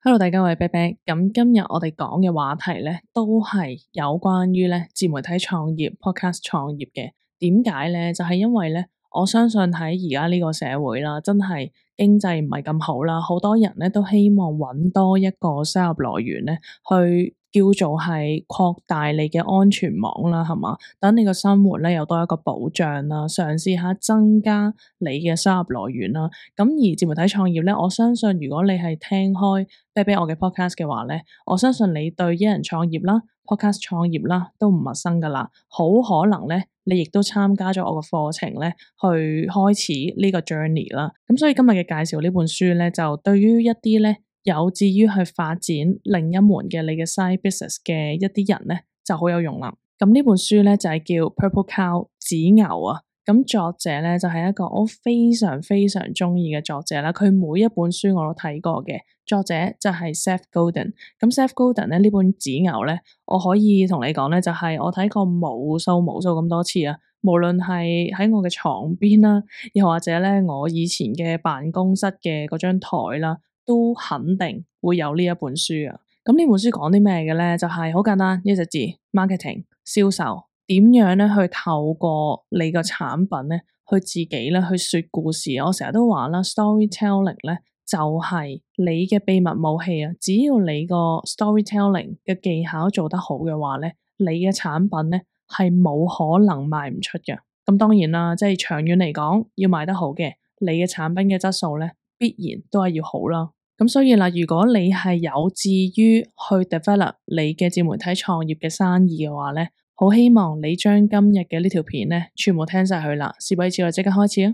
Hello，大家，我係啤啤。咁今日我哋講嘅話題咧，都係有關於咧自媒體創業、podcast 創業嘅。點解咧？就係因為咧，我相信喺而家呢個社會啦，真係經濟唔係咁好啦，好多人咧都希望揾多一個收入來源咧，去叫做係擴大你嘅安全網啦，係嘛？等你個生活咧有多一個保障啦，嘗試下增加你嘅收入來源啦。咁而自媒體創業咧，我相信如果你係聽開啤啤我嘅 podcast 嘅話咧，我相信你對一人創業啦、podcast 創業啦都唔陌生噶啦。好可能咧，你亦都參加咗我嘅課程咧，去開始呢個 journey 啦。咁所以今日嘅介紹呢本書咧，就對於一啲咧有志於去發展另一門嘅你嘅 side business 嘅一啲人咧，就好有用啦。咁呢本書咧就係叫 Purple Cow 紫牛啊。咁作者咧就係一個我非常非常中意嘅作者啦，佢每一本書我都睇過嘅。作者就係 Seth Godin。咁 Seth Godin 咧呢本紫牛咧，我可以同你講咧，就係我睇過無數咁多次啊。無論係喺我嘅床邊啦，又或者咧我以前嘅辦公室嘅嗰張台啦，都肯定會有呢一本書啊。咁呢本書講啲咩嘅咧？就係好簡單，一隻字 marketing 銷售。點樣咧去透過你個產品咧，去自己咧去說故事。我成日都話啦 ，storytelling 咧就係你嘅秘密武器啊！只要你個 storytelling 嘅技巧做得好嘅話咧，你嘅產品咧係冇可能賣唔出嘅。咁當然啦，即係長遠嚟講，要賣得好嘅，你嘅產品嘅質素咧必然都係要好啦。咁所以啦，如果你係有志於去 develop 你嘅自媒體創業嘅生意嘅話咧，好希望你將今日嘅呢條片咧，全部聽晒佢啦。事不宜遲，我即刻開始啊！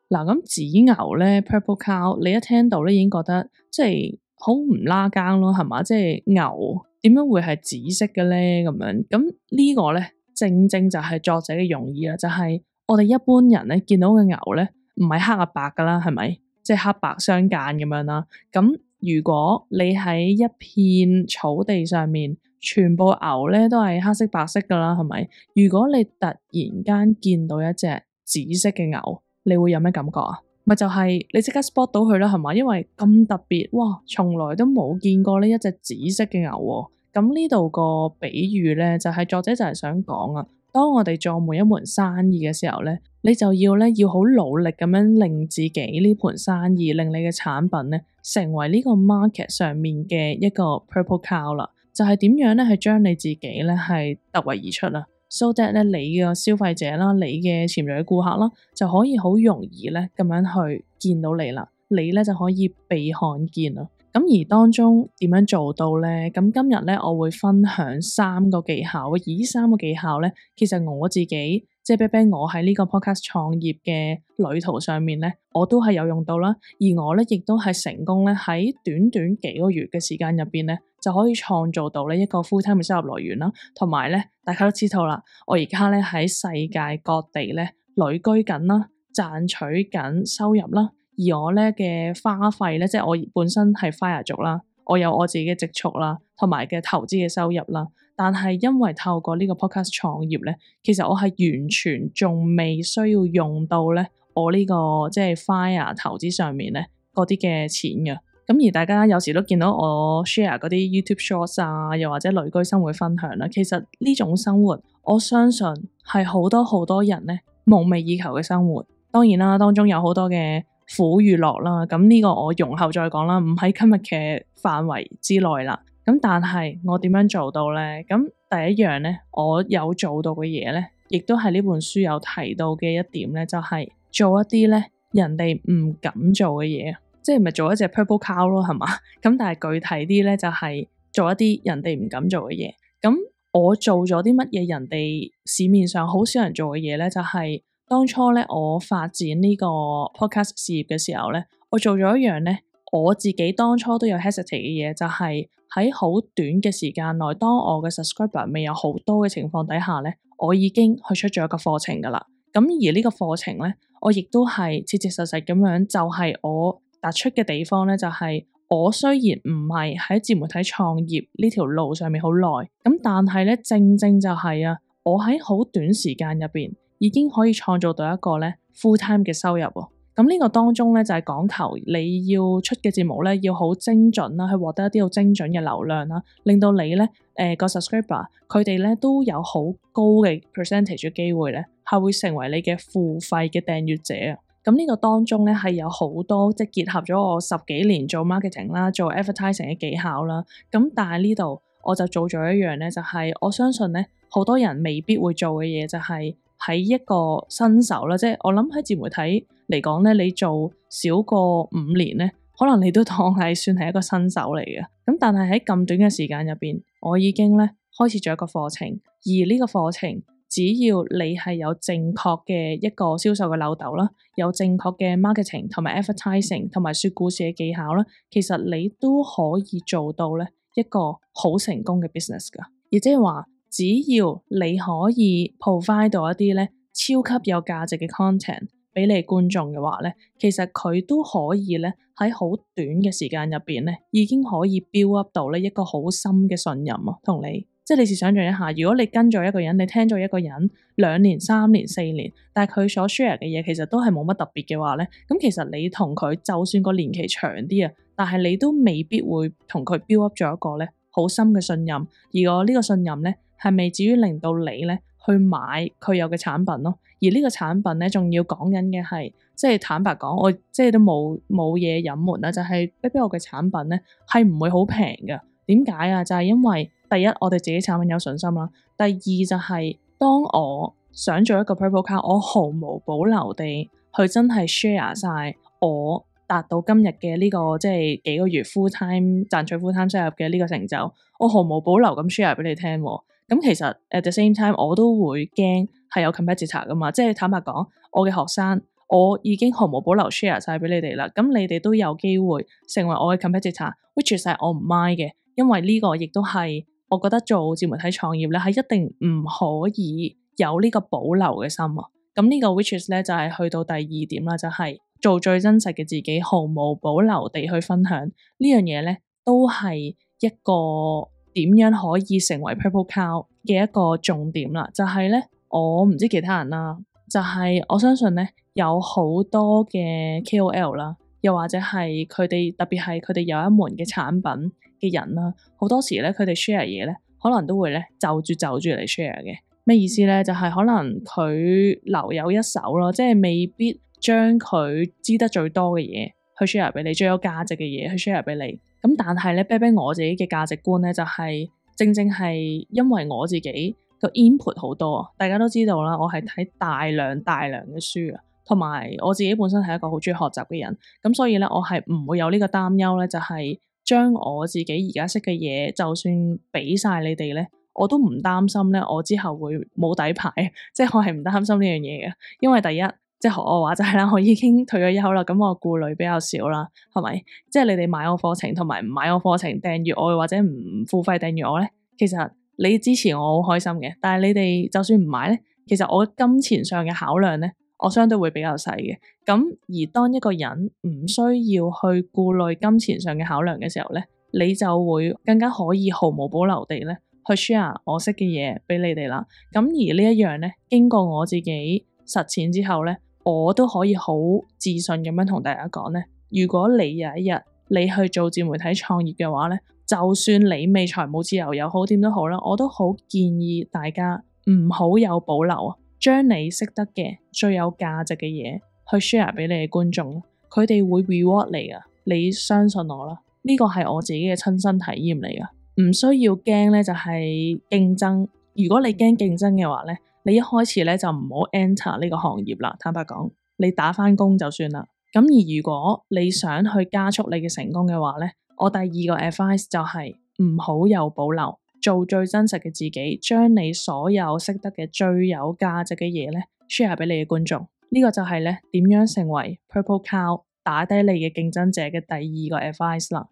嗱，咁紫牛咧 Purple Cow，你一聽到咧已經覺得即係好唔拉更咯，係嘛？即係牛點樣會係紫色嘅咧？咁樣咁呢個咧，正正就係作者嘅用意啦，就係我哋一般人咧見到嘅牛咧，唔係黑啊白噶啦，係咪？即係黑白相間咁樣啦，咁。如果你喺一片草地上面，全部牛咧都係黑色白色噶啦，係咪？如果你突然間見到一隻紫色嘅牛，你會有咩感覺啊？咪就係你即刻 spot 到佢啦，係嘛？因為咁特別，哇，從來都冇見過呢一隻紫色嘅牛喎。咁呢度個比喻咧，就係作者就係想講啊。當我哋做每一門生意嘅時候咧，你就要好努力咁樣令自己呢盤生意，令你嘅產品咧成為呢個 market 上面嘅一個 Purple Cow 啦。就係點樣咧，係將你自己咧係突圍而出啦，so that 咧你嘅消費者啦，你嘅潛在嘅顧客啦，就可以好容易咧咁樣去見到你啦，你咧就可以被看見啦。咁而當中點樣做到咧？咁今日咧我會分享3個技巧，而呢3個技巧咧，其實我自己即係啤啤，我喺呢個 podcast 創業嘅旅途上面咧，我都係有用到啦。而我咧亦都係成功咧喺短短幾個月嘅時間入邊咧，就可以創造到呢一個 full time 嘅收入來源啦。同埋咧，大家都知道啦，我而家咧喺世界各地咧旅居緊啦，賺取緊收入啦。而我咧嘅花費咧，即係我本身係 FIRE 族啦，我有我自己嘅積蓄啦，同埋嘅投資嘅收入啦。但係因為透過呢個 podcast 創業咧，其實我係完全仲未需要用到咧我呢個即係 FIRE 投資上面咧嗰啲嘅錢嘅。咁而大家有時都見到我 share 嗰啲 YouTube Shorts 啊，又或者旅居生活分享啦。其實呢種生活，我相信係好多人咧夢寐以求嘅生活。當然啦，當中有好多嘅苦與樂啦，咁呢個我容後再講啦，唔喺今日嘅範圍之內啦。咁但係我點樣做到咧？咁第一樣咧，我有做到嘅嘢咧，亦都係呢本書有提到嘅一點咧，就係做一啲咧人哋唔敢做嘅嘢，即係唔係做一隻 Purple Cow 咯，係嘛？咁但係具體啲咧，就係做一啲人哋唔敢做嘅嘢。咁我做咗啲乜嘢人哋市面上好少人做嘅嘢咧？就係當初咧，我發展呢個 podcast 事業嘅時候咧，我做咗一樣咧，我自己當初都有 hesitate 嘅嘢，就係喺好短嘅時間內，當我嘅 subscriber 未有好多嘅情況底下咧，我已經去出咗一個課程噶啦。咁而呢個課程咧，我亦都係切切實實咁樣，就係我突出嘅地方咧，就係我雖然唔係喺自媒體創業呢條路上面好耐，咁但係咧，正正就係啊，我喺好短時間入邊，已經可以創造到一個咧 full time 嘅收入喎。咁呢個當中咧就係講求你要出嘅節目咧要好精準啦，去獲得一啲好精準嘅流量啦，令到你咧個 subscriber 佢哋咧都有好高嘅 percentage 嘅機會咧係會成為你嘅付費嘅訂閱者啊。咁呢個當中咧係有好多即係結合咗我10幾年做 marketing 啦，做 advertising 嘅技巧啦。咁但係呢度我就做咗一樣咧，就係我相信咧好多人未必會做嘅嘢，就係喺一個新手啦，即係我諗喺自媒體嚟講咧，你做少過5年咧，可能你都當係算係一個新手嚟嘅。咁但係喺咁短嘅時間入邊，我已經咧開始咗一個課程，而呢個課程只要你係有正確嘅一個銷售嘅漏斗啦，有正確嘅 marketing 同埋 advertising 同埋說故事嘅技巧啦，其實你都可以做到咧一個好成功嘅 business 噶。亦即係話，只要你可以 provide 到一啲咧超級有價值嘅 content 俾你觀眾嘅話咧，其實佢都可以咧喺好短嘅時間入邊咧，已經可以 build up 到咧一個好深嘅信任啊，同你。即係你試想象一下，如果你跟咗一個人，你聽咗一個人2年、3年、4年，但係佢所 share 嘅嘢其實都係冇乜特別嘅話咧，咁其實你同佢就算個年期長啲啊，但係你都未必會同佢 build up 咗一個咧好深嘅信任。而我呢個信任咧係未至於令到你咧去買佢有嘅產品咯。而呢個產品咧仲要講緊嘅係，即係坦白講，我即係都冇嘢隱瞞啦，就係啤啤我嘅產品咧係唔會好平㗎。點解啊？就係因為第一，我哋自己產品有信心啦。第二就係當我想做一個 Purple Cow，我毫無保留地去真係 share 晒我達到今日嘅呢個即係幾個月 full time 賺取 full time 收入嘅呢個成就，我毫無保留咁 share 俾你聽。咁其實 at the same time 我都會驚係有 competitor 噶嘛。即係坦白講，我嘅學生我已經毫無保留 share 晒俾你哋啦。咁你哋都有機會成為我嘅 competitor，which 係我唔 mind 嘅。因為呢個亦都係我覺得做自媒體創業咧，係一定唔可以有呢個保留嘅心啊。咁呢個 which is 咧就係去到第2點啦，就係做最真實嘅自己，毫無保留地去分享呢樣嘢咧，都係一個點樣可以成為 Purple Cow 嘅一個重點啦。就係咧，我唔知其他人啦，就係我相信咧有好多嘅 KOL 啦，又或者係佢哋特別係佢哋有一門嘅產品嘅人啦，好多時咧佢哋 share 嘢咧，可能都會咧就住嚟 share 嘅。咩意思咧？就係可能佢留有一手咯，即係未必將佢知得最多嘅嘢去 share 俾你，最有價值嘅嘢去 share 俾你。咁但係咧，啤啤我自己嘅價值觀咧，就係正係因為我自己個 input 好多啊。大家都知道啦，我係睇大量嘅書啊，同埋我自己本身係一個好中意學習嘅人，咁所以咧我係唔會有呢個擔憂咧，就係將我自己而家識嘅嘢，就算俾晒你哋咧，我都唔擔心咧，我之後會冇底牌，即係我係唔擔心呢樣嘢嘅。因為第一，即係學我話齋啦，我已經退咗休啦，咁我顧慮比較少啦，係咪？即係你哋買我課程同埋唔買我課程訂閱我或者唔付費訂閱我咧，其實你支持我好開心嘅。但係你哋就算唔買咧，其實我金錢上嘅考量咧，我相對會比較細嘅。咁而當一個人唔需要去顧慮金錢上嘅考量嘅時候咧，你就會更加可以毫無保留地咧去 share 我識嘅嘢俾你哋啦。咁而呢一樣咧，經過我自己實踐之後咧，我都可以好自信咁樣同大家講咧，如果你有一日你去做自媒體創業嘅話咧，就算你未財務自由又好點都好啦，我都好建議大家唔好有保留啊，將你識得嘅最有價值嘅嘢去 share 俾你嘅觀眾，佢哋會 reward 你噶，你相信我啦，呢個係我自己嘅親身體驗嚟噶，唔需要驚咧就係競爭。如果你驚競爭嘅話咧，你一開始咧就唔好 enter 呢個行業啦。坦白講，你打返工就算啦。咁而如果你想去加速你嘅成功嘅話咧，我第二個 advice 就係唔好有保留，做最真實嘅自己，將你所有識得嘅最有價值嘅嘢咧 share 俾你嘅觀眾。呢個就係咧點樣成為 Purple Cow 打低你嘅競爭者嘅第二個 advice 啦。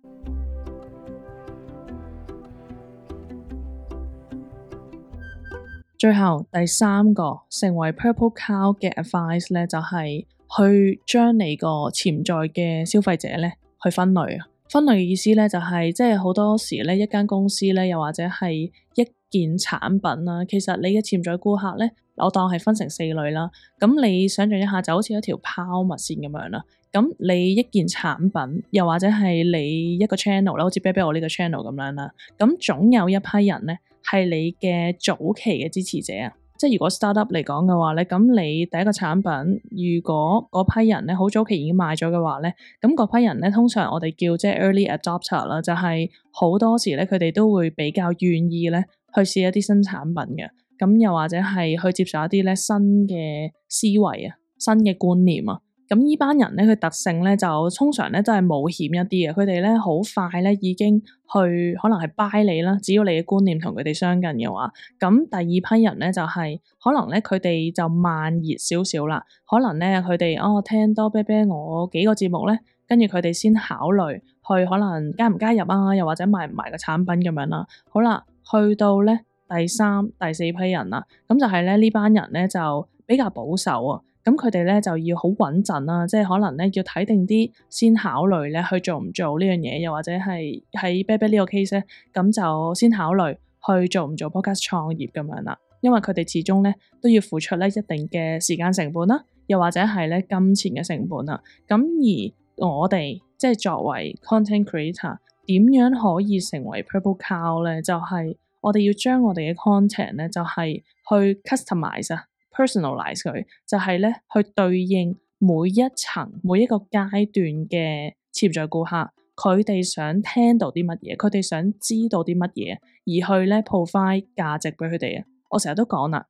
最後第三個成為 Purple Cow 嘅 advice 咧，就係去將你個潛在嘅消費者咧去分類啊。分類嘅意思咧就係即係好多時咧一間公司咧，又或者係一件產品啦，其實你嘅潛在顧客咧，我當係分成4類啦。咁你想象一下，就好似一條拋物線咁樣啦。咁你一件產品，又或者係你一個 channel 啦，好似啤啤我呢個 channel 咁樣啦。咁總有一批人咧，係你嘅早期嘅支持者啊。即係如果 startup 嚟講嘅話咧，咁你第一個產品，如果嗰批人咧好早期已經買咗嘅話咧，咁嗰批人咧通常我哋叫即係 early adopter 啦，就係好多時咧佢哋都會比較願意咧去試一啲新產品嘅，咁又或者係去接受一啲咧新嘅思維啊、新嘅觀念啊。咁呢班人咧，佢特性咧就通常咧都係冒險一啲嘅，佢哋咧好快咧已經去可能係 buy 你啦，只要你嘅觀念同佢哋相近嘅話，咁第二批人咧就係可能咧佢哋就慢熱少少啦，可能咧佢哋聽多啤啤我幾個節目咧，跟住佢哋先考慮去可能加唔加入啊，又或者買唔買個產品咁樣啦。好啦，去到咧第3、第4批人啦，咁就係咧呢班人咧就比較保守啊。咁佢哋咧就要好穩陣啦，即係可能咧要睇定啲先考慮咧去做唔做呢樣嘢，又或者係喺啤啤呢個 case 咧，咁就先考慮去做唔做 podcast 創業咁樣啦。因為佢哋始終咧都要付出咧一定嘅時間成本啦，又或者係咧金錢嘅成本啦。咁而我哋即係作為 content creator，點樣可以成為 Purple Cow 咧？就係我哋要將我哋嘅 content 咧，就係去 customize 啊。personalize 佢就係咧去對應每一層每一個階段嘅潛在顧客，佢哋想聽到啲乜嘢，佢哋想知道啲乜嘢，而去咧 provide 價值俾佢哋啊。我成日都講啦，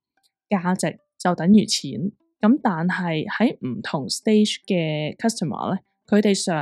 價值就等於錢，咁但係喺唔同 stage 嘅 customer 咧，佢哋想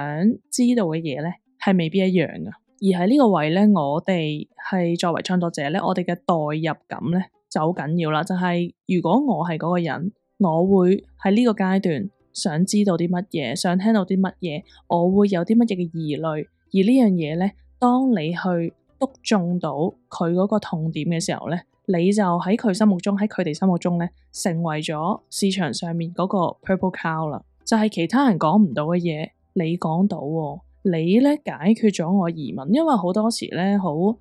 知道嘅嘢咧係未必一樣噶。而喺呢個位咧，我哋係作為創作者咧，我哋嘅代入感咧就好緊要啦，就係如果我係嗰個人，我會喺呢個階段想知道啲乜嘢，想聽到啲乜嘢，我會有啲乜嘢嘅疑慮，而呢樣嘢咧，當你去篤中到佢嗰個痛點嘅時候咧，你就喺佢心目中，喺佢哋心目中咧，成為咗市場上面嗰個 Purple Cow 啦，就係其他人講唔到嘅嘢，你講到喎。你咧解決咗我疑問，因為好多時咧好慘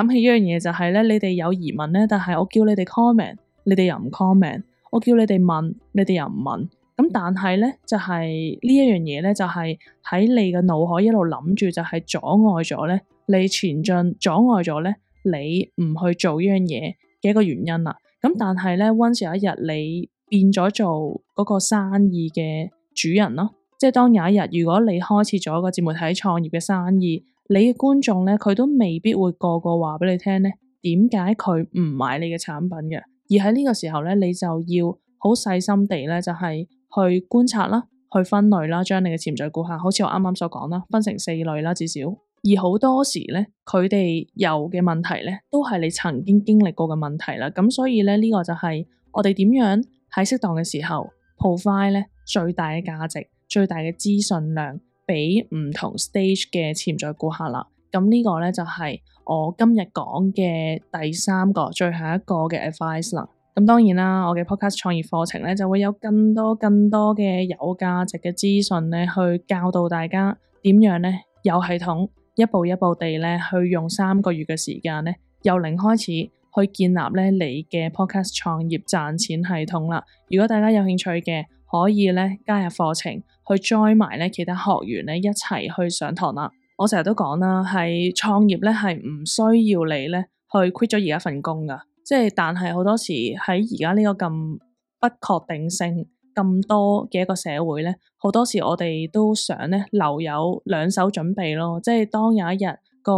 嘅一樣嘢就係咧，你哋有疑問咧，但係我叫你哋 comment，你哋又唔 comment，我叫你哋問，你哋又唔問，咁但係咧就係呢一樣嘢咧，就係喺你嘅腦海一路諗住，就係阻礙咗咧你前進，阻礙咗咧你唔去做呢樣嘢嘅一個原因啦。咁但係咧，once 有一日你變咗做嗰個生意嘅主人咯。即係當有一日，如果你開始咗個自媒體創業嘅生意，你嘅觀眾咧，佢都未必會個個話俾你聽咧，點解佢唔買你嘅產品嘅？而喺呢個時候咧，你就要好細心地咧，就係去觀察啦，去分類啦，將你嘅潛在顧客，好似我啱啱所講啦，分成4類啦，至少。而好多時咧，佢哋有嘅問題咧，都係你曾經經歷過嘅問題啦。咁所以咧，呢個就係我哋點樣喺適當嘅時候 provide 咧最大嘅價值。最大嘅資訊量俾唔同 stage 嘅潛在顧客啦，咁呢個咧就係我今日講嘅第3個最後一個嘅 advice 啦。咁當然啦，我嘅 podcast 創業課程咧就會有更多嘅有價值嘅資訊咧，去教導大家點樣咧有系統一步一步地咧去用3個月嘅時間咧由零開始去建立咧你嘅 podcast 創業賺錢系統啦。如果大家有興趣嘅，可以咧加入課程去 join 埋咧其他學員咧一齊去上堂啦。我成日都講啦，係創業咧係唔需要你咧去 quit 咗而家份工噶，即係但係好多時喺而家呢個咁不確定性咁多嘅一個社會咧，好多時我哋都想咧留有2手準備咯，即係當有一日個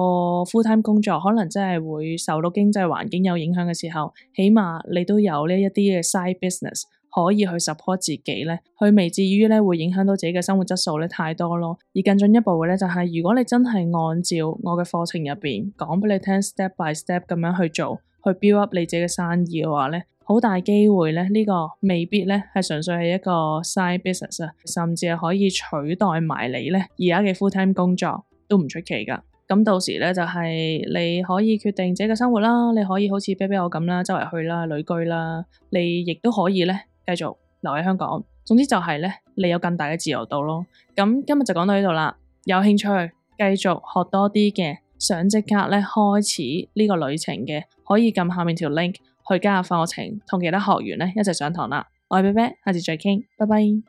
full time 工作可能真係會受到經濟環境有影響嘅時候，起碼你都有呢一啲嘅 side business。可以去 support 自己咧，佢未至於咧會影響到自己嘅生活質素咧太多咯。而更進一步嘅咧，就係如果你真係按照我嘅課程入邊講俾你聽 step by step 咁樣去做，去 build up 你自己嘅生意嘅話咧，好大機會咧呢個未必咧係純粹係一個 side business 啊，甚至係可以取代埋你咧而家嘅 full time 工作都唔出奇噶。咁到時咧就係你可以決定自己嘅生活啦，你可以好似啤啤我咁啦，周圍去啦，旅居啦，你亦都可以咧繼續留喺香港，總之就係咧，你有更大嘅自由度咯。咁今日就講到呢度啦，有興趣繼續學多啲嘅，想即刻咧開始呢個旅程嘅，可以撳下面條 link 去加入課程，同其他學員咧一齊上堂啦。我係啤啤，下次再傾，拜拜。